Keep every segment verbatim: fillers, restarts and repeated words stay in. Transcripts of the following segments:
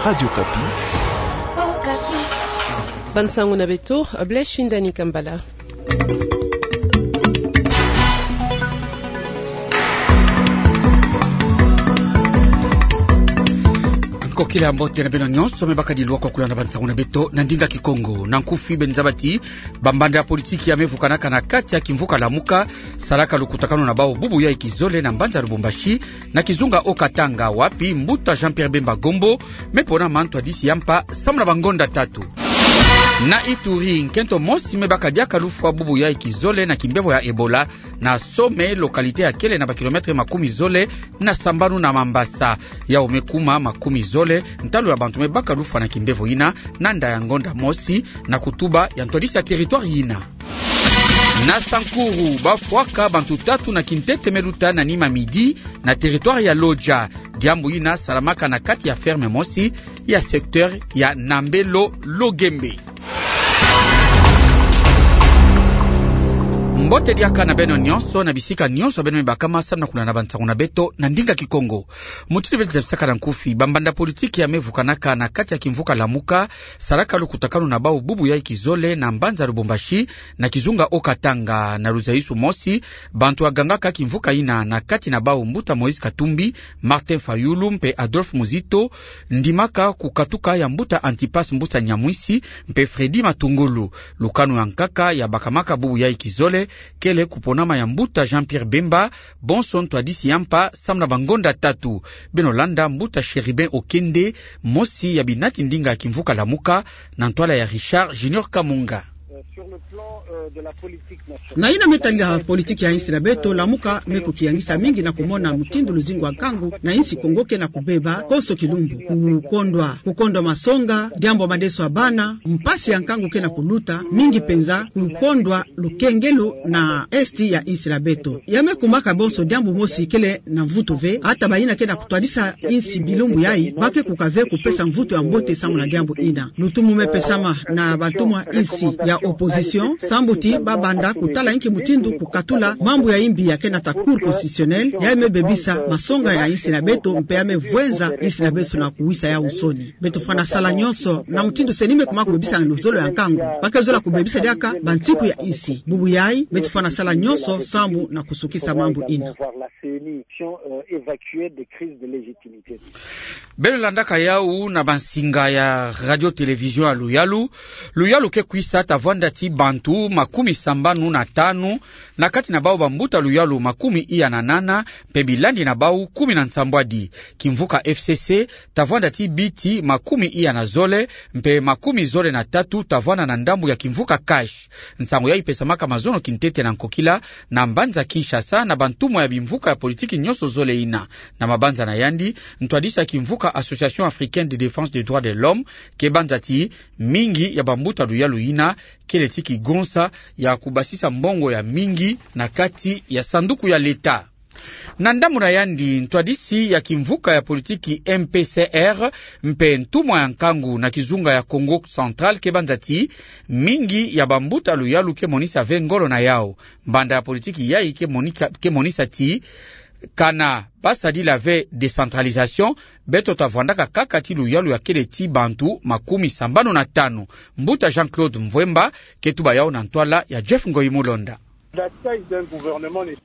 Radio Okapi. Ba nsangu na beto, Blaise Shindani Kambala. Nkokila ya mbote na beno nyonso, me bakadi lwa kwa kulanda ba nsangu na beto na ndinga Kikongo. Na nkufi, beno zaba ti bambanda ya politiki ya me vukanaka na kati ya kimvuka Lamuka, salaka lukutakanu na bawu bubu yayi kizole na mbanza Lubumbashi, na kizunga Haut-Katanga, wapi mbuta Jean-Pierre Bemba Gombo me pona mantwadisi ya mpa samu na bangonda tatu. Na Ituri, nkento mosi me baka diaka lufwa bubu yayi kizole na kimbevo ya Ebola na Some, localité ya kele na ba kilomètre makumi zole na sambanu na Mambasa. Yawu me kuma makumi zole ntalu ya bantu me baka lufwa na kimbevo yina, na nda ya ngonda mosi, na kutuba ya ntwadisi ya territoire yina. Na Sankuru, bafwaka bantu tatu na kintete me luta na nima midi na territoire ya Lodja. Diambu yina salamaka na kati ya ferme mosi ya secteur ya Nambelo Logembe. Mbote diaka na beno nyonso na bisika nyonso beno me bakama samu na kulanda ba nsangu na beto na ndinga Kikongo. Mutindu beto zabisaka na nkufi, bambanda politiki ya me vukanaka na kati ya kimvuka Lamuka, salaka lukutakanu na bawu bubu yayi kizole na mbanza Lubumbashi, na kizunga Haut-Katanga. Na luzayisu mosi, bantu ya gangaka kimvuka yina, na kati na bawu mbuta Moïse Katumbi, Martin Fayulu mpe Adolphe Muzito, ndimaka kukatuka ya mbuta Antipas Mbuta Nyamwisi mpe Freddy Matungulu. Lukanu ya nkaka ya bakamaka bubu yayi kizole kele kuponama ya mbuta Jean-Pierre Bemba, bonso ntwadisi ya mpa samu na bangonda tatu. Beno landa mbuta Chérubin Okende, mosi ya binati ndinga ya kimvuka Lamuka, na ntwala ya Richard Junior Kamunga. Na yina me tadila politiki ya insi na beto, Lamuka me kukiyangisa mingi na kumona mutindu luzingu ya nkangu na insi Kongo ke na kubeba konso kilumbu. Kukondwa, kukondwa masonga, diambu madeso ya bana, mpasi ya nkangu ke na kuluta, mingi penza kukondwa lukengelo na esti ya insi na beto. Ya me kumaka bonso diambu mosi kele na mvutu ve, ata bayina ke na kutwadisa insi bilumbu yayi, ba ke kuka ve kupesa mvutu ya mbote samu na diambu yina. Lutumu me pesama na bantumwa insi ya opposition, sambu ti ba banda kutala inki mutindu kukatula mambu ya imbi ya ke na ta Cour constitutionnelle, ya me bebisa masonga ya insi na beto, mpe ya me vwenza insi na beto na kuwisa yawu nsoni. Beto fwana sala nyonso na mutindu C E N I me kuma kubebisa luzolo ya nkangu. Ba ke zola kubebisa diaka bantiku ya insi. Bubu yayi, beto fwana sala nyonso sambu na kusukisa mambu yina. Beno landaka yawu na bansinga ya Radio Télévision ya Luyalu. Luyalu ke kwisa ta vwanda ti bantu makumi sambanu na tanu, na kati na bawu bambuta luyalu makumi iya na nana, mpe bilandi na bawu kumi na nsambwadi. Kimvuka F C C ta vwanda ti biti makumi iya na zole, mpe makumi zole na tatu ta vwanda na ndambu ya kimvuka CACH. Nsangu yayi pesamaka mazono kintete na nkokila na mbanza Kinshasa na bantumwa ya bimvuka ya politiki nyonso zole yina. Na mabanza na yandi, ntwadisi ya kimvuka Association Africaine de Défense des Droits de l'Homme ke banza ti mingi ya bambuta luyalu yina kele ti kigonsa ya kubasisa mbongo ya mingi na kati ya sanduku ya leta. Na ndambu na yandi, ntwadisi ya kimvuka ya politiki M P C R mpe ntumwa ya nkangu na kizunga ya Kongo Central ke banza ti mingi ya bambuta luyalu ke monisa ve ngolo na yawu. Mbanda ya politiki yayi ke monika-, ke monisa ti kana ba sadila ve décentralisation, beto ta vwandaka kaka ti luyalu ya kele ti bantu makumi sambanu na tanu. Mbuta Jean-Claude Mvwemba ke tuba yawu na ntwala ya Jeff Ngoyi Mulonda.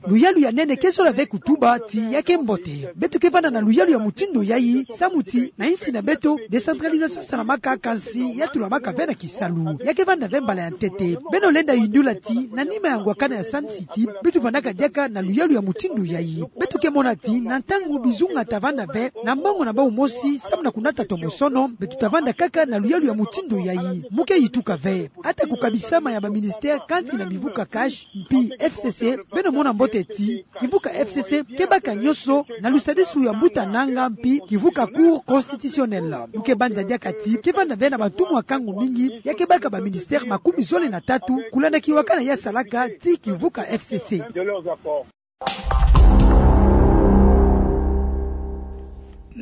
Luyalu ya nene ke zola ve kutuba ti ya ke mbote. Beto ke vanda na luyalu ya mutindu yayi, samu ti na insi na beto, décentralisation salamaka, kansi ya tulamaka ve na kisalu. Ya ke vanda ve mbala ya ntete. Beno lenda yindula ti na nima ya ngwakana ya Sun City, beto vandaka diaka na luyalu ya mutindu yayi. Beto ke mona ti na ntangu bizunga ta vanda ve na mbongo na bawu mosi samu na kunata tomosono, beto ta vanda kaka na luyalu ya mutindu yayi. Mu ke yituka ve. Ata kukabisama ya ba ministère kansi na bimvuka CACH mpi F C C, beno mona mbote ti kimvuka F C C ke baka nyonso na lusadisu ya mbuta Nanga mpi kimvuka Cour constitutionnelle. Mu ke banza diaka ti ke vanda ve na bantumwa ya nkangu mingi ya ke baka ba ministère makumi zole na tatu, kulanda kiwakana ya salaka ti kimvuka F C C.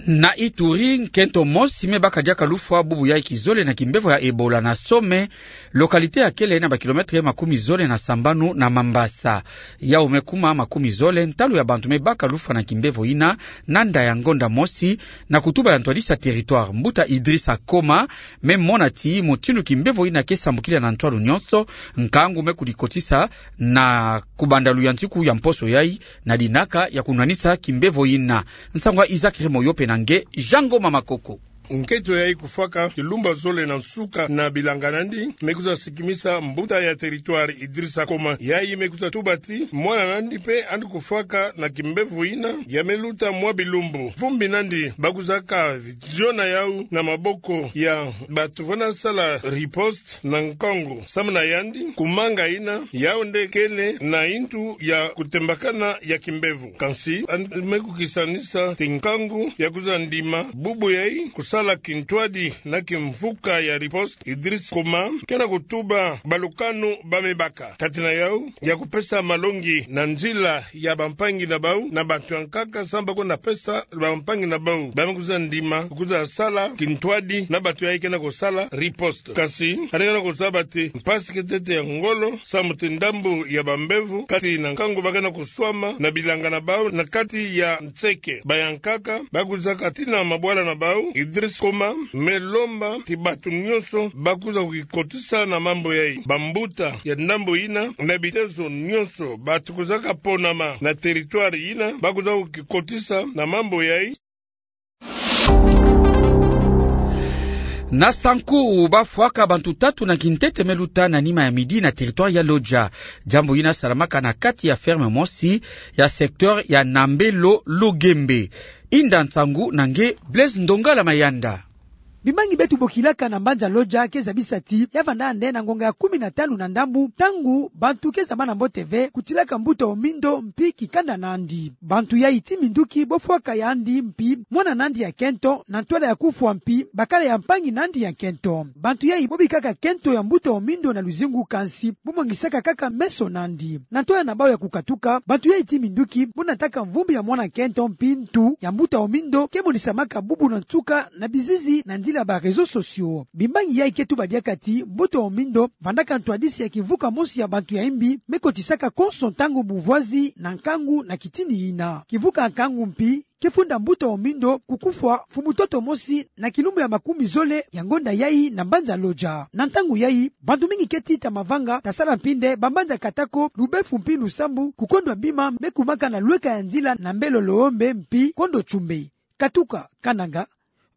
Na Ituri, nkento mosi me baka diaka lufwa bubu ya kizole na kimbevo ya Ebola na Some, localité ya kele na ba kilomètre makumi zole na sambanu na Mambasa. Yau me kuma makumi zole ntalu ya bantu me baka lufwa na kimbevo yina, na nda ya ngonda mosi, na kutuba ya ntwadisi ya territoire, mbuta Idrissa Koma, me mona ti mutindu kimbevo yina ke sambukila na ntwalu nyonso, nkangu me kudikotisa na kubanda luyantiku ya mposo yai, na dinaka ya kunwanisa kimbevo yina. Nsangu ya Isaac Remoyo pe na nge Jean Ngoma Makoko. Nkento yai kufwaka kilumbu zole na nsuka na bilanga nandi, me kwiza sikimisa mbuta ya territoire Idrissa Koma. Yai me kwiza tuba ti mwana nandi pe andi kufwaka na kimbevo yina, ya me luta mwa bilumbu. Vumbi nandi bakwizaka ziona yau na maboko ya bantu vona sala riposte na nkangu. Samu na yandi, kumanga yina, yau nde kele na yintu ya kutembakana ya kimbevo. Kansi, andi me kukisanisa ti nkangu ya kwiza ndima bubu yai kusala kintwadi na kimvuka ya riposte, Idrissa Koma ke na kutuba balukanu ba me baka. Kati na yau, ya kupesa malongi na nzila ya bampangi na bau, na bantu ya nkaka, samu ba kwenda pesa bampangi na bau ba me kwiza ndima, kwiza sala kintwadi na bantu yai ke na kusala riposte. Kansi, andi ke na kuzaba ti mpasi ke tete ya ngolo, samu ti ndambu ya bambevo, kati na nkangu ba ke na kuswama na bilanga na bau, na kati ya nseke. Ba ya nkaka, bakwizaka tii na mabwala na bau, Idrissa Koma me lomba ti bantu nyonso bakwiza kukikotisa na mambu yai. Bambuta ya ndambu yina, na bitezo nyonso, bantu kwizaka ponama na territoire yina, bakwiza kukikotisa na mambu yai. Na Sankuru, bafwaka bantu tatu na kintete me luta na nima ya midi na territoire ya Lodja. Diambu yina salamaka na kati ya ferme mosi ya secteur ya Nambelo Logembe. Inda nsangu na nge Blaise Ndongala Mayanda. Bimbangi beto bokilaka na mbanza Lodja ke zabisa ti ya vanda nde na ngonga ya kumi na tanu na ndambu, ntangu bantu ke zaba na mbote ve kutilaka mbuta Omindo mpi kikanda nandi. Bantu yai ti minduki bofwaka yandi mpi mwana nandi ya nkento, na ntwala ya kufwa mpi bakala ya mpangi nandi ya nkento. Bantu yai bobikaka nkento ya mbuta Omindo na luzingu, kansi bomwangisaka kaka meso nandi. Na ntwala na bau ya kukatuka, bantu yai ti minduki bonataka mvumbi ya mwana nkento mpi ntu ya mbuta Omindo ke monisamaka bubu na nsuka na bizizi na nzila ba réseaux sociaux. Bimbangi yai ke tuba diaka ti mbuta Omindo vandaka ntwadisi ya kimvuka mosi ya bantu ya imbi me kotisaka konso ntangu buvwazi na nkangu na kitini yina. Kimvuka nkangu mpi ke funda mbuta Omindo kukufwa mfumu ntoto mosi na kilumbu ya makumi zole ya ngonda yai na mbanza Lodja. Na ntangu yai, bantu mingi ke tita mavanga, tasala mpi nde bambanza Katako, Lubefu mpi Lusambu, kukondwa bima me kumaka na lweka ya nzila Nambelo Logembe mpi Kondo Tchumbe. Katuka Kananga,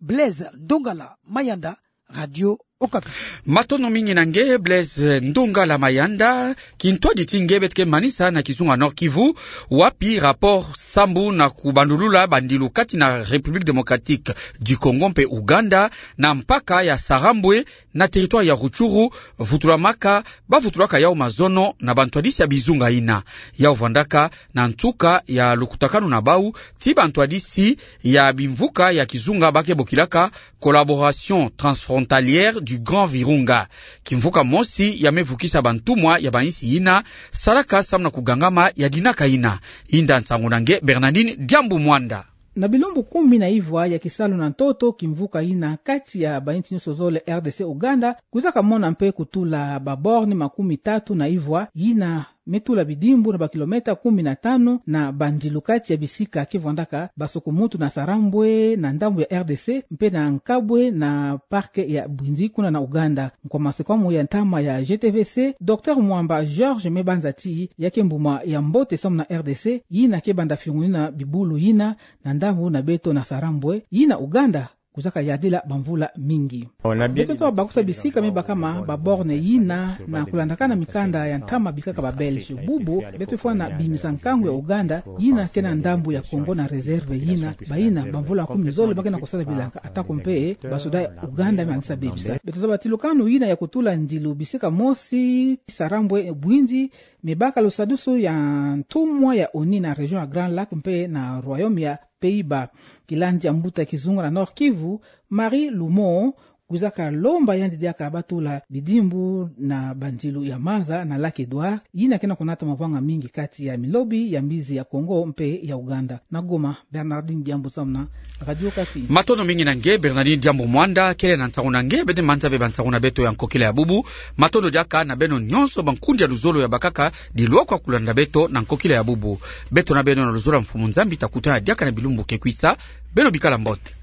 Blaise Ndongala Mayanda, Radio Okapi. Matondo mingi na nge Blaise Ndongala Mayanda. Kintwadi ti nge, beto ke manisa na kizunga Nord-Kivu, wapi rapport sambu na kubandulula bandilu kati na République Démocratique du Congo mpe Ouganda na mpaka ya Sarambwe na territoire ya Rutshuru vutulamaka, bavutulaka yau mazono na bantwadisi ya bizunga yina. Yau vandaka na nsuka ya lukutakanu na bau ti bantwadisi ya bimvuka ya kizunga ba ke bokilaka Collaboration Transfrontalière du Grand Virunga. Kimvuka mosi ya me vukisa bantumwa ya bainsi yina salaka samu na kugangama ya dinaka yina. Inda nsangu na nge Bernardine Diambu Mwanda. Na bilumbu kumi na ivwa ya kisalu na ntoto, kimvuka yina kati ya bainsi nyonso zole, R D C, Ouganda, kwizaka mona mpe kutula ba borne makumi tatu na ivwa yina me tula bidimbu na ba kilomètre kumi na tanu na bandilu kati ya bisika ke vandaka basukumutu na Sarambwe na ndambu ya R D C mpe na Nkabwe na parc ya Bwindi kuna na Ouganda. Nkwa masekwamu ya ntama ya G T V C, Docteur Mwamba Georges, me banza ti ya ke mbuma ya mbote samu na R D C yina ke banda fiongunina bibulu yina na ndambu na beto na Sarambwe, yina Ouganda kwizaka yadila bamvula mingi. Beto twa bakusa bisika me bakama ba borne yina na kulandakana mikanda ya ntama bikaka ba Belge. Bubu beto fwana bimisa nkangu ya Ouganda yina ke na ndambu ya Congo na réserve yina, bayina bamvula kumi zole ba ke na kusala bilanga, atako mpe basoda ya Ouganda me manisa bebisa. Beto zaba ti lukanu yina ya kutula ndilu bisika mosi, Sarambwe, Bwindi, me baka lusadusu ya ntumwa ya ONU na région ya Grand Lac mpe na Royaume ya Pays-Bas. Kilandi ya mbuta kizunga na Nord-Kivu, Marie Lumon, kwizaka lomba yandi diaka batula bidimbu na bandilu ya maza na lac Edouard, yina ke na kunata mavanga mingi kati ya milobi ya mbizi ya Kongo mpe ya Ouganda. Na Goma, Bernardine Diambu samu na Radio Okapi. Matondo mingi na nge, Bernardine Diambu Mwanda, kele na nsangu na nge, bende manza be bansangu na beto ya nkokila ya bubu. Matondo diaka na beno nyonso bankundi ya luzolo ya bakaka dilokwa kulanda beto na nkokila ya bubu. Beto na beno na luzolo ya Mfumu Nzambi, ta kutana diaka na bilumbu ke kwisa, beno bikala mbote.